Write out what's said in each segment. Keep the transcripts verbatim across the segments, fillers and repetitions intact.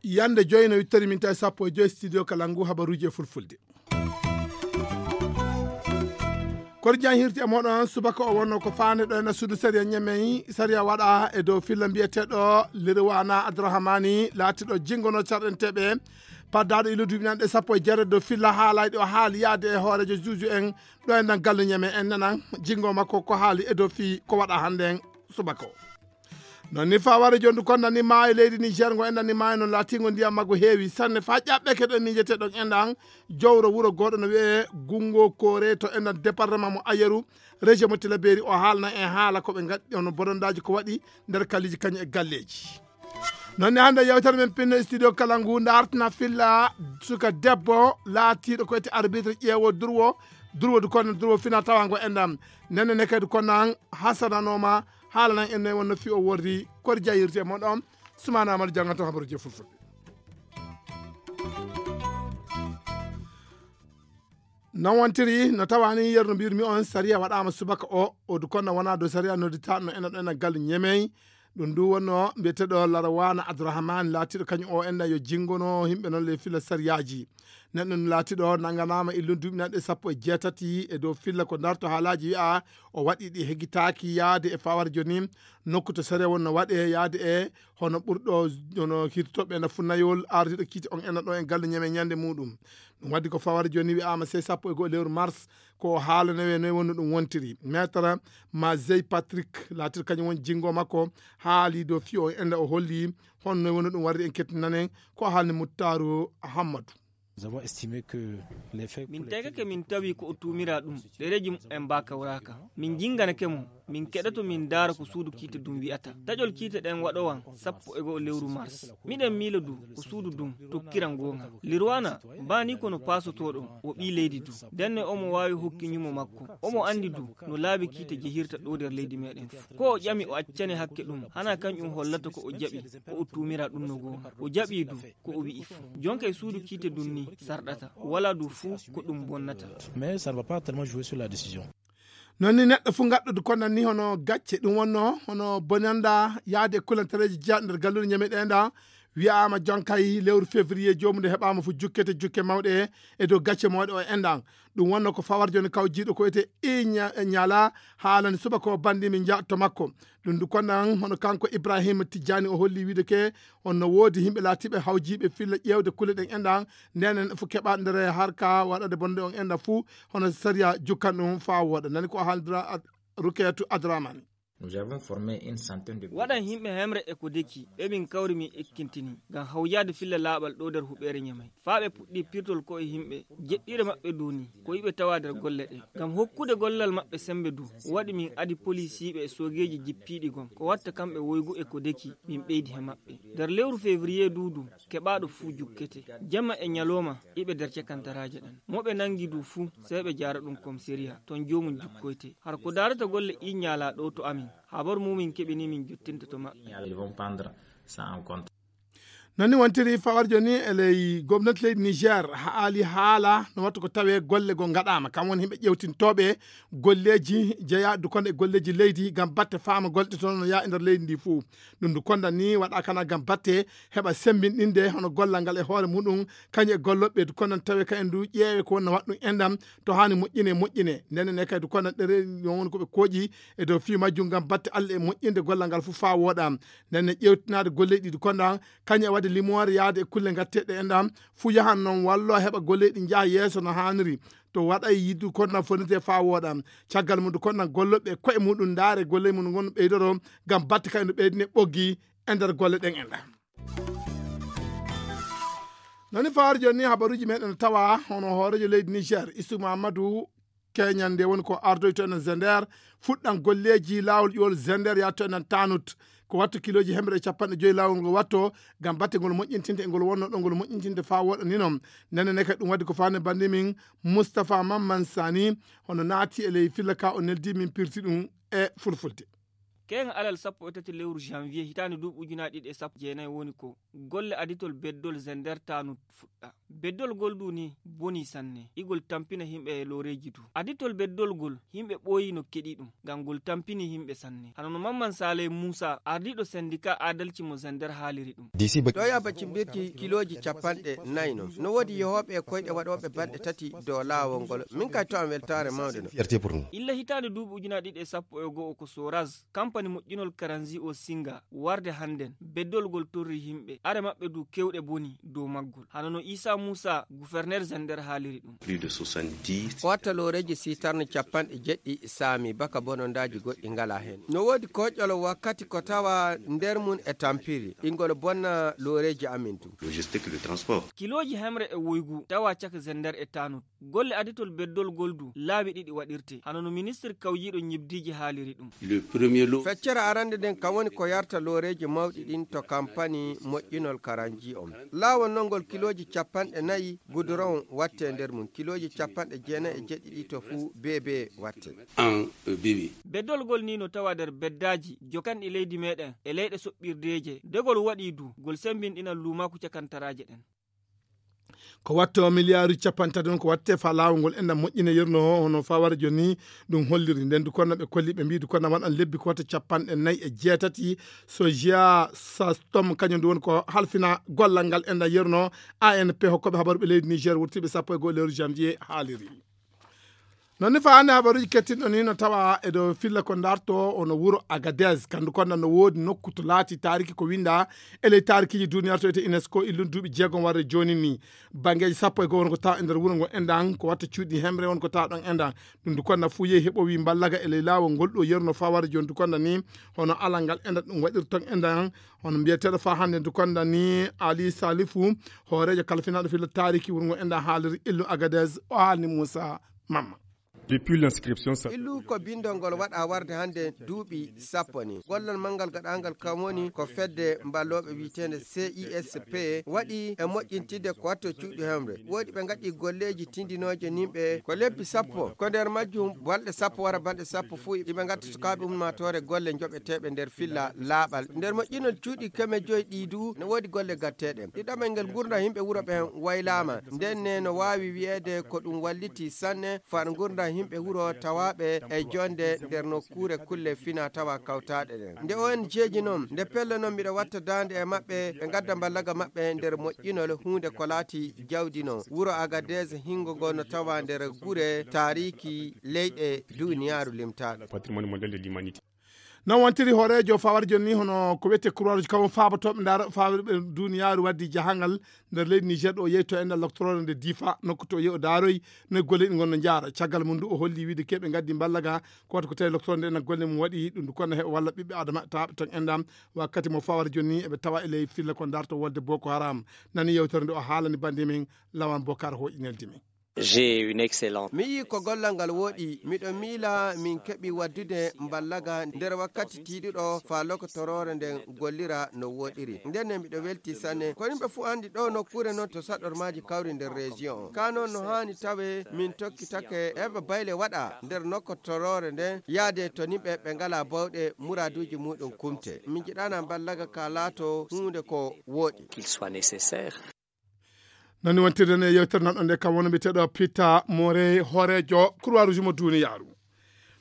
Yande joyi no wittori min tawi sappo e joyi studio kala ngu habaruji e fulfulde. Kono jan hirti e moɗon subaka o wonno ko fande ɗo ena suudu sariya ñamey sariya waɗa e dow filla mbiyeteɗo lirwana adrahamani laatiɗo jingono carɗenteɓe paddaɗo ilo duuɓi nanɗe sappo e jeere dow filla haalayɗo haali yaade e hoorejo juuju en ɗo e nan gallu ñamey en nanan jingo makko ko haali e dow fii ko waɗa hande en. Subaka o non ni faware jondu kon nani maayo leydi niger ngo enɗan ni maayo non laatingo ndiyam maggo heewi sanne fa ƴaɓɓeke ɗon mijeteɗon enɗan jowro wuro goɗo no wiye gungo kore to enɗan département mo ayeru région mo tilaberi o haalna en haala koɓe gaɗi ono bonondaji ko waɗi nder kalliji kañum e galleji. Non ni hande yewtere men pinno e studio kala ngu dartana filla suka debbo laatiɗo ko wiyete arbitre ƴeewo durwo durwo du kono durwo fina tawango enɗan nenne ne kadi kono an hasananoma haalanan en noy wonno fi o worri kori jayirte mon ɗon sumana amadou jangata habaruji e fulfulde. Non wontiri no tawani yerno mbirmi on sariya waɗama subaka o o du kono wona dow sariya nodditaɗo no ena ɗo ena galu ñemey. Ɗum ndu wonno mbiyeteɗo larawana abdourahmane laatiɗo kañum o enɗan yo jingono yimɓe noon ley fila sariyaji. Neɗɗo no laatiɗo nanganama e lum duuɓi nanɗe sappo e jeetati e dow filla ko darto haalaji wiya o waɗi ɗi heggitaaki yaade e fawar joni nokku to sariya wonno waɗe yaade e hono ɓurɗo hono hirtoɓe ena funnayol ardiɗo kiite on ena ɗo en galle ñame ñande muɗum. Ɗum waddi ko fawar joni wi'ama sey sappo e go'o lewru mars ko o haalanowe noy wonno ɗum wontiri. Maître mazey patrick laatir kañum woni jingo makko haali dow fiyo on enda o holli honno wonno ɗum warri en kettinane ko haalni muttaru. Hammadou. Min tegake min tawi ko o tuumira ɗum ɗereji mumen mbakawraka. Min jinganake mo min keɗoto min ndaara ko suudu kiite ɗum wi'ata. Taƴol kiite ɗen waɗowan sappo e go'o lewru mars. Miɗen miila du ko suudu ɗum tokkira ngonga. Lirwana mbani kono pasotoɗo o ɓii leydi du. Ndenne omo waawi hokki ñumo makko. Omo andi du no laabi kiite jehirta ɗo nder leydi meɗen fu. Ko o ƴami o accane hakke ɗum hana kañum hollata ko o jaɓi ko o tuumira ɗum no gonga. O jaɓi du ko o wi'i fu. Jonka e suudu kiite ɗum ni sarɗata wala du fu ko ɗum bonnata. Mais ça ne va pas tellement jouer sur la décision. Non ni neɗɗo fu gaɗɗo du konan ni hono gacce ɗum wonno hono bonanda yaade e kulantareji jeyaɗo nder galluɗe ñame ɗe nda wiyama jonkay lewru février jomum nde heɓama fu jukkete jukke mawɗe e dow gacce mawɗe o enɗan. Ɗum wonno ko fawar joni kaw jiiɗo ko wiyete iñala haalani subaka o bandi min jaa to makko. Ɗum du konan hono kanko ibrahima tijjani o holli wiide ke honno woodi yimɓe laatiiɓe hawjiiɓe filla ƴeewde kulle ɗen enɗan. Ndenen fof keɓa nder harka waɗade bonde on enɗan fuu hono sariya jukkan ɗum faa wooɗa nani ko haalidira. Rukeyatu adramani. Nous avons formé une centaine de waɗan yimɓe hemre e ko deki ɓe min kawri min ekkintini ngam hawjaade filla laaɓal ɗo nder huɓeere ñamay faa ɓe puɗɗi pirtol ko e yimɓe jeɗɗiɗo maɓɓe duuni ko yiɓe tawa nder golle ɗe ngam hokkude gollal maɓɓe sembe du. Waɗi min adi polisiiɓe e soogeeji jippiiɗi gom ko watta kamɓe woygu e ko deki min ɓeydi he maɓɓe. Nder lewru février duudu keɓaaɗo fuu jukkete jamma e ñalooma. Iɓe nder cakantaraaje ɗen mo ɓe nanngi du fuu sey ɓe jaara ɗum komiseriya ton joomum jukkoyte. Hara ko daarata golle iññaalaa ɗo to amin habar mumin keɓini min jottinta to maɓɓe. Nani wontiri fawar joni e ley gomnati leydi niger haali haala no wattu ko tawe golle go gaɗama kam woni himɓe ƴewtintoɓe golleji jeeyaɗi du kono e golleji leydi gam batte fama golɗe toon no yaa e nder leydi ndi fuu. Ɗum du kondan ni waɗa kana gam batte heɓa sembinɗinde hono gollal ngal e hoore muɗum kañum e golloɓe du kondan tawe ka en du ƴeewe ko wonna waɗɗum enɗam to hani moƴƴine moƴƴine ndenen e kadi du kondan ɗere woni koɓe kooƴi e dow fii majjum gam batte allah e moƴƴinde gollal ngal fuu faa wooɗa. Nden ne ƴeewtinaade golleeji ɗi konɗan kañum e waɗde limoore yahde e kulle ngatteeɗe enɗan fuu yahan noon walloo heɓa golleeji ɗi njaha yeeso no haaniri. To waɗay yiddu konɗan fonnitee faa wooɗa. Caggal mum du konɗan gollooɓe e koye muɗum ndaare golleeji mum ngon ɓeydoro ngam batte kay no ɓeydine ɓoggi e nder golle ɗen enɗan. Nani fawaade jooni ni habaruuji meɗen no tawa hono hooreejo leydi niger isuma amadou keñande woni ko ardoyto enen zender fuɗɗan golleeji laawol ƴuwol zender yatto enen tanut ko watto kilooji hemre e capanɗe joyi laawol ngol watto ngam batte ngol moƴƴintinde e ngol wonno ɗo ngol moƴƴintinde faa woɗa ni noon. Nene ne kadi ɗum waɗi ko faande bannde min moustapha mamman sani hono naati e ley filla ka o neldi min pirti ɗum e fulfulde. Keeŋa alal sappo e tati lewru janvier hitaande duuɓi ujunaaji ɗiɗi e sappo jeenayi woni ko golle aditol beddol Zender Tanut fuɗɗa. Beddol ngol du ni boni sanne. Igol tampina himɓe e looreeji du. Aditol beddol ngol himɓe ɓooyi no keɗi ɗum. Ngam ngol tampini himɓe sanne. Hano no Mamman Saleh Musa, ardiiɗo sendika adalci mo Zender haaliri ɗum. Ɗo yaba cimbirki kilooji capanɗe nayi non. No woodi yehooɓe e koyɗe waɗooɓe balɗe tati dow laawol ngol. Min kay to am weltaare mawnde no. Illa hitaande duuɓi ujunaaji ɗiɗi e sappo e go'o ko Soraz, kampani moƴƴinol karanzi o Singa, warde hannden, beddol ngol torri himɓe, are maɓɓe du kewɗe boni dow maggol. Hano no Isa Musa, guferner Zender haaliri ɗum. Ko watta looreeji sitarni capanɗe jeɗɗi saami baka bonondaaji goɗɗi ngala heen. No woodi koƴƴol wakkati ko tawa nder mum e tampiri, ingol bonna looreeji amin du. Logistique de transport. Kilooji hemre e woygu tawa caka Zender e Tanut. Golle aditol beddol ngol du laabi ɗiɗi waɗirte, hano no ministir kawjiiɗo ñibdiiji haaliri ɗum. Feccere arande nden kam woni ko yarta looreeji mawɗi ɗin to kampani moƴƴinol karanji on. Laawol non ngol kilooji capanɗe nayi guduron watte nder mum, kilooji capanɗe jeenayi e jeɗɗiɗi to fuu beebe watte. Beddol ngol ni no tawa nder beddaaji jokanɗi leydi meɗen e leyɗe soɓɓirdeeje. Degol waɗi du, ngol sembinɗinan luumaaku cakantaraaje ɗen. Ko watte o miliyaaru capanɗe tati on ko watte fa laawol ngol enɗam moƴƴine yerno o, hono fawara joni ɗum holliri. Nden du konna ɓe kolli ɓe mbi du konna waɗan lebbi ko watte capanɗe nayi e jeetati. So jeya sastom kañum du woni ko halfina gollal ngal enɗam yerno. A N P hokkoɓe habaru ɓe leydi Niger wurtiɓe sappo e go'o lewru janvier haaliri. Non ni fa hannde habaruuji kettinɗo ni no tawa e dow filla ko darto ono wuro Agadez. Kandu konda no woodi nokku to laati taariki ko winda e ley taarikiiji duniyaaru to ete UNESCO illun duuɓi jeegom warde jooni ni. Banngeeji sappo e go'o won ko tawa e nder wuro ngo endan ko watta cuuɗi hemre won ko tawa ɗon endan. Ɗum du konda fuu yehi heɓo wi mballaga e ley laawol ngol ɗo yerno faware jooni du konda ni hono alal ngal endan ɗum waɗir ton endan. Hono mbiyeteeɗo fa hannde du konda ni Ali Salifu hooreejo kalfinaaɗo filla taariki wuro ngo endan haaliri illu Agadez o haalni Moussa Mamma. Depuis l'inscription, ça illu ko bindol ngol waɗa warde hannde duuɓi sappo ni. Gollal manngal gaɗangal kam woni ko fedde mballooɓe wiyeteende C I S P waɗi e moƴƴintidde ko watto cuuɗi hemre. Woodi ɓe ngaɗi golleeji tindinooje nimɓe ko lebbi sappo. Ko nder majjum balɗe sappo wara balɗe sappo fuu iɓe ngatta sukaaɓe ummaatoore golle joɓeteeɓe nder filla laaɓal. Nder moƴƴinol cuuɗi keme joyi ɗi du no woodi golle gatteeɗe. Ɗiɗaɓel ngel ngurndan yimɓe wuro ɓen waylaama. Nden ne no waawi wiyeede ko ɗum walliti sanne far ngurndan yimɓe wuro tawaaɓe e jonde nder nokkuure kulle fina tawa kawtaaɗe ɗen. Nde O N G ji non, nde pello non miɗo watta daande e maɓɓe, ɓe ngadda mballaga maɓɓe nder moƴƴinol huunde ko laati jawdi non. Wuro Agadez hingo ngo no tawa nder gure taariki leyɗe duniyaaru limtaaɗe. Patrimoine mondial de l'humanité. Non wontiri hooreejo fawar jonni hono ko wiyetee Croix Rouge, kam faabotooɓe ndaara fawirɓe duniyaaru waddi jahangal nder leydi Niger ɗo yehi to enɗan loktoroore nde Difa, nokku to yehi o daaroyi no golle ɗi ngonno njaara. Caggal mum ndu o holli wiide keɓe ngaddi mballaga ko wata ko tawi loktoroore nde ena golle mum waɗi ɗum ndu kono heɓa walla ɓiɓɓe adama tawaaɓe ton enɗan. Wakkati mo fawar jonni eɓe tawa e ley filla ko darto wolde Boko Haram. Nani yewtere nde o haalani bannde men Lawan Bokar hoƴi neldi men. J'ai une excellente. Mi yii ko gollal ngal wooɗi, miɗo miila min keɓi waddude mballaga nder wakkati tiiɗuɗo faa lokotoroore nden gollira no wooɗiri. Nden ne miɗo welti sanne. Ko yimɓe fuu anndi ɗo nokkuure non to saɗormaaji kawri nder région on. Kaa non no haani tawe min tokkitake heɓa bayle waɗa nder nokotoroore nden yaade to yimɓe ɓe ngalaa bawɗe muraaduuji muuɗum kumte. Min njiɗaana mballaga ka laato huunde ko wooɗi. Qu'il soit nécessaire. Nani wontirden e yewtere nan ɗon nde kam woni mbiyeteeɗo Peter Morey, hooreejo Croix Rouge mo duniyaaru.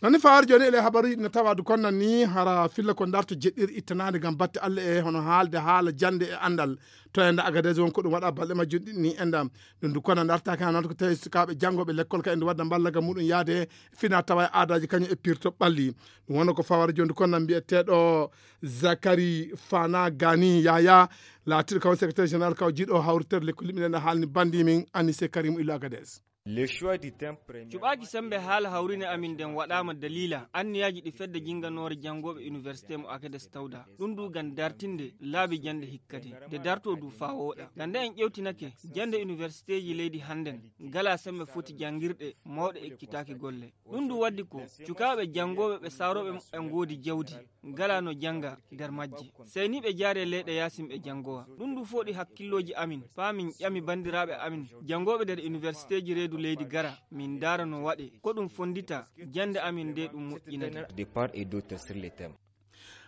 Nani fawaade jooni ele habaruuji no tawa du konnan ni hara filla ko darto jeɗɗiri ittanaade ngam batte Allah e hono haalde haala jannde e anndal. To enda Agadez won ko ɗum waɗa balɗe majjum ɗiɗi ni enda. Ɗum du konnan dartaaki haa noon ko tawi sukaaɓe janngooɓe lekkol ka enda wadda mballaga muɗum yaade fina tawa e aadaaji kañum e pirto ɓalli. Ɗum wonno ko fawaade jooni du konnan mbiyeteeɗo Zakari Fana Gani Yaya, laatiiɗo kaw secrétaire général kaw jiiɗo hawritere lekkol yimɓe nden haalni bandi min Anise Karim Ilo Agadez. Le choix du thème premier. Cuɓaaji semmbe haala hawrine amin nden waɗaama daliila anniyaaji ɗi fedde jinnganoore janngooɓe université mo Agadez tawda. Ɗum du ngam dartinde laabi jannde hikkade. Nde darto du faa wooɗa. Ngam nde en ƴewtinake jannde universitéji leydi hannden, ngalaa semmbe foti janngirɗe mawɗe ekkitaaki golle. Ɗum du waddi ko cukaaɓe janngooɓe ɓe saarooɓe muɓɓen ngoodi jawdi, ngalaa no jannga nder majje. Sey ni ɓe jaari e leyɗe yaasin ɓe janngowa. Ɗum du fooɗi hakkillooji amin, faa min ƴami banndiraaɓe amin janngooɓe nder universitéji reedu leydi gara, min ndaara no waɗee. Ko ɗum fonndita jannde amin nde ɗum moƴƴinani. De part et d'autre sur les thèmes.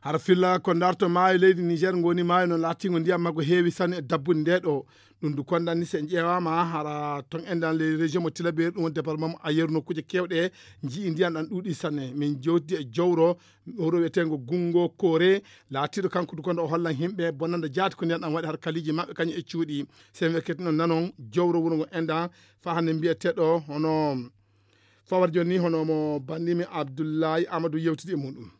Hara filla ko darto maayo leydi Niger ngoni maayo no laatingo ndiyam maggo heewi sanne e dabbude nde ɗo. Ɗum du kondani se ƴeewaama hara ton endan ley région mo Tilaberi, ɗum woni département mo Ayeru, nokkuuje keewɗe nji'i ndiyam ɗam ɗuuɗi sanne. Min jowti e jowro wuro wiyetengo Gungo Kore, laatiiɗo kanko du kondo o hollan himɓe bonande jaati ko ndiyam ɗam waɗi har kaliiji maɓɓe kañum e cuuɗi. Se mi ekkitino nanon jowro wuro ngo endan fa hannde mbiyeteɗo hono fawar joni hono mo bandimi Abdullahi Amadou yewtidi e muɗum.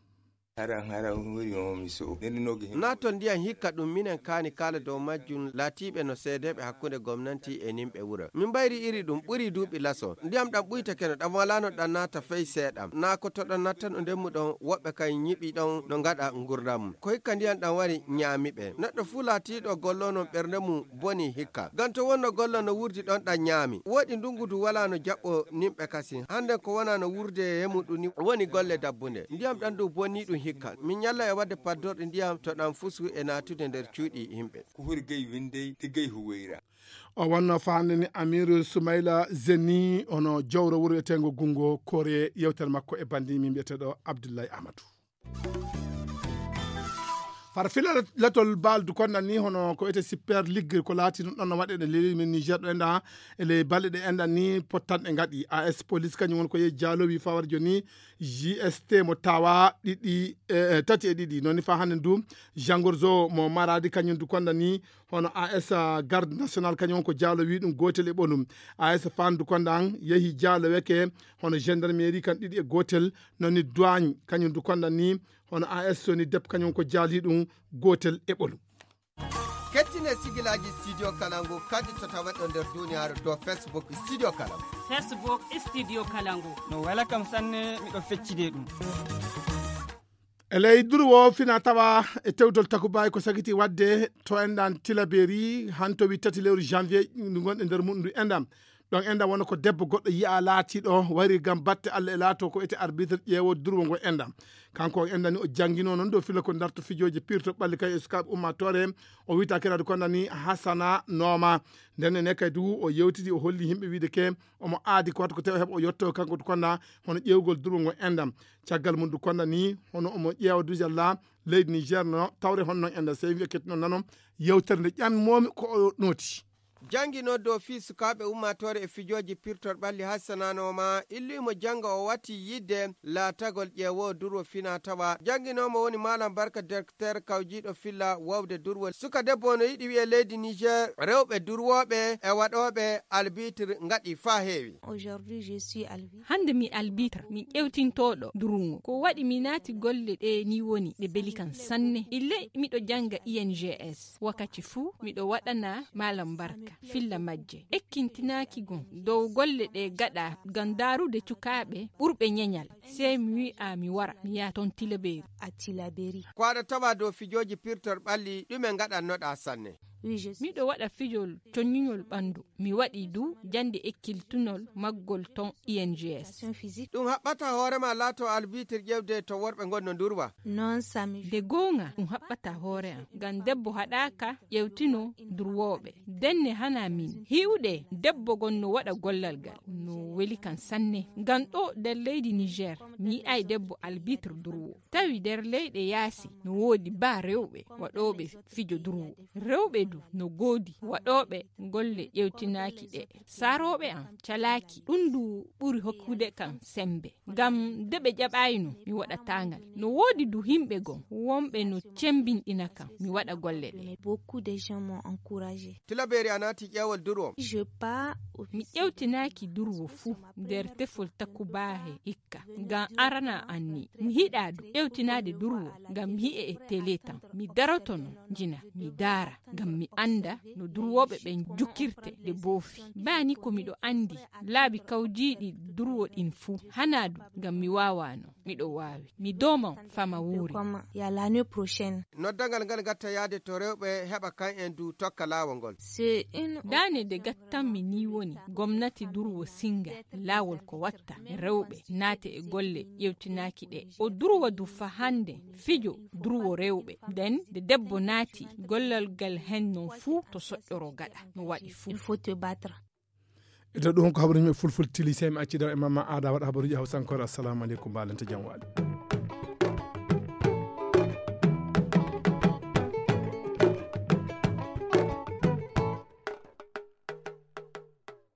Haran haran woni o mi so. Ndenno ge. Naatol ndiyam hikka ɗum minen kaani kala dow majjum laatiiɓe no seedeeɓe hakkunde gomnanti e nimɓe wuro. Min mbayri iri ɗum ɓuri duuɓi laso. Ndiyam ɗam ɓuytake no ɗam walaano ɗam naata fey seeɗam. Naa ko to ɗam nattano ndemmu ɗon woɓɓe kay ñiɓi ɗon no ngaɗa ngurdam mum. Ko hikka ndiyam ɗam wari ñaami ɓe. Neɗɗo fuu laatiiɗo gollono ɓernde mum boni hikka. Ganto wonno gollo no wurdi ɗon ɗam ñaami. Woɗi ndungu du walaano jaɓɓo nimɓe kasi. Hande ko wona no wurde he muɗum ni woni golle dabbunde. Ndiyam ɗam du bonni ɗum hikka. Min ñalla e wadde paddorɗe ndiyam to ɗam fusu e naatude nder cuuɗi yimɓe. Ko hori gay windey, ɗi gay huweyra. O wonno faande ni Amiru Sumayla Zeni, ono jawro wuro wiyetengo Gungo Kore, yewtere makko e bandi min mbiyeteɗo Abdullahi Amadou. Far fila latol bal du konna ni hono ko ete Super League ko laati ɗum ɗon no waɗe ɗe leli min Niger ɗo enda e ley balɗe ɗe enda ni pottanɗe ngaɗi. A S Police kañum won ko yehi jaalowi fawar joni G S T mo tawa ɗiɗi, eh, tati e ɗiɗi. Non ni fa hannde du Jangorzo mo Maradi kañum du konda ni hono A S Garde National kañum won ko jaalowi ɗum gotel e ɓolum. A S Fandu konda an yehi jaaloweke hono gendarmerie kan ɗiɗi e gotel. Non ni douane kañum du konda ni hono A S Soni Dep kañum ko jaali ɗum gotel e ɓolum. Kettine sigilaaji Studio Kalangu kadi to taweɗo nder duniyaaru dow Facebook Studio Kalangu. Facebook Studio Kalangu. No wela kam sanne, miɗo feccide ɗum. E ley duru wo fina tawa e tewtol takubaay ko sagiti wadde to enɗan Tilaberi hanto wi tati lewru janvier ndu gonɗe nder muɗum ndu enɗan. Ɗon enɗan wona ko debbo goɗɗo yi'a laatiɗo wari gam batte Allah e laato ko ete arbitre ƴeewo durwo ngo enɗan. Kanko o enɗan ni o jangino noon dow filo ko darto fijooji pirto ɓalli kay e sukaaɓe ummatore. O wita kirade kondani Hasana Nooma. Nden ne kay du o yewtidi o holli yimɓe wiide ke omo aadi ko watta ko tawi o heɓa o yetto kanko du konda hono ƴeewgol durwo ngo enɗan. Caggal mum du konda ni hono omo ƴeewa du jalla leydi Niger no tawre honno enɗan sey wiya kettino nano yewtere nde ƴammomi ko o noti. Jangino dow fii sukaaɓe ummaatoore e fijooji pirtor ɓalli hassananooma illuimo janga o wati yidde laatagol ƴeewo durwo fina tawa. Janginoomo woni Malam Barka, directeur kawjiiɗo filla wawde durwo. Suka debbo no yiɗi wi'e leydi Niger, rewɓe durwooɓe e waɗooɓe albitre ngaɗi faa heewi. Aujourd'hui, je suis albitre. Hannde mi albitre, mi ƴewtintooɗo durungo. Ko waɗi mi naati golle ɗe ni woni ɗe beli kan sanne. Ille miɗo janga I N G S. Wakkati fuu miɗo waɗana Malam Barka filla majje. Ekkintinaaki gon dow golle ɗe gaɗa ngam daarude cukaaɓe ɓurɓe ñeñal. Sey mi wi'a mi wara, mi yaha ton Tilaberi. A Tilaberi. Ko aɗa tawa dow fijooji pirtor ɓalli, ɗume ngaɗannoɗaa sanne? Miɗo waɗa fijol coññuñol ɓandu. Mi waɗi du jannde ekkiltunol maggol ton I N G S. Ɗum haɓɓata hoore ma laato albitre ƴewde to worɓe ngonno ndurwa. Nde goonga, ɗum haɓɓata hoore am, ngam debbo haɗaaka ƴewtino durwooɓe. Denne hana min. Hiwɗe, debbo gon no waɗa gollal ngal. No weli kan sanne. Ngam ɗo nder leydi Niger, mi yi'ay debbo albitre durwo. Tawi nder leyɗe yaasi, no woodi ba rewɓe waɗooɓe fijo durwo. Rewɓe du no goodi waɗooɓe golle ƴewtinaaki ɗe. Saarooɓe am calaaki, ɗum du ɓuri hokkude kam sembe. Ngam de ɓe ƴaɓaayno, mi waɗataa ngal. No woodi du himɓe goo, wonɓe no cembinɗina kam, mi waɗa golle ɗe. Beaucoup de gens m'ont encouragé. Tilaberi a naati ƴeewol durwo. Mi ƴewtinaaki durwo fuu nder tefol takubaahe hikka. Ngam arana an ni, mi hiɗa du ƴewtinaade durwo, ngam mi hi'e e tele tan. Mi daroto no njina, mi daara, ngam mi annda no durwooɓe ɓen jukkirte de boofi. Baa ni ko miɗo anndi laabi kawjiiɗi durwo ɗin fuu, hanaa du ngam mi waawano, miɗo waawi. Mi dooma fama wuuri. Ya l'année prochaine. Noddangal ngal gatta yaade to rewɓe heɓa kan en du tokka laawol ngol. Daane de gattanmi ni woni gomnati durwo singa laawol ko watta rewɓe naate e golle ƴewtinaaki ɗe. O durwo du fa hannde fijo durwo rewɓe. Nden de debbo naati gollal ngal hen non fuu to soƴƴoro gaɗa no waɗi fuu. Il faut te battre. E dow ɗum ko habaruji men fulfulde tili, sey mi acci daw e Mama Aada waɗa habaruji hawsankore. Assalamu aleykum, mbalante jam waali.